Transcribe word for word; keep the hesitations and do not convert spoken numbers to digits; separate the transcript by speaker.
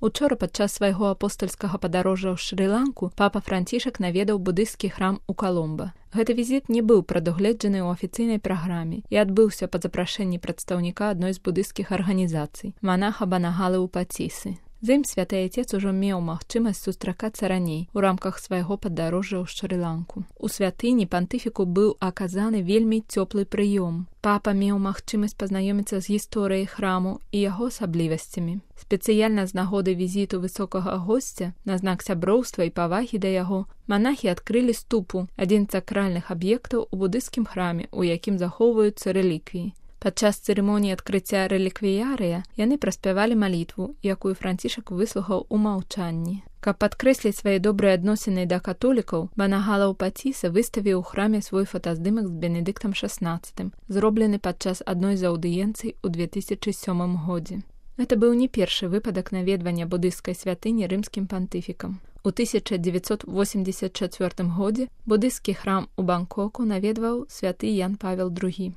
Speaker 1: Учора падчас свайго апостальскага падарожжа ў Шры-Ланку папа Францішак наведаў будысцкі храм у Каломба. Гэты візіт не быў прадугледжаны ў афіцыйнай праграме і адбыўся па запрашэнні прадстаўніка адной з будысцкіх арганізацый, манаха Банагалы Упацісы. З ім святы айцец ужо меў магчымасць сустракацца раней у рамках свайго падарожжа ў Шры-Ланку. У святыні пантыфіку быў аказаны вельмі цёплы прыём. Папа меў магчымасць пазнаёміцца з гісторыяй храму і яго асаблівасцямі. Спецыяльна з нагоды візіту высокага госця, на знак сяброўства і павагі да яго, манахі адкрылі ступу, адзін з сакральных аб'ектаў у будысцкім храме, у якім захоўваюцца рэліквіі. Падчас цырымоніі адкрыцця рэліквіярыя яны праспявалі малітву, якую Францішак выслухаў у маўчанні. Каб падкрэсліць свае добрыя адносіны да католікаў, Банагала Упаціса выставіў у храме свой фотаздымак з Бенедыктам шаснаццатым, зроблены падчас адной з аўдыенцый у две тысячы сёмым годзе. Гэта быў не першы выпадак наведвання будысцкай святыні рымскім пантыфікам. У тысяча дзевяцьсот восемьдесят чацвёртым годзе будысцкі храм у Бангкоку наведваў святы Ян Павел другі.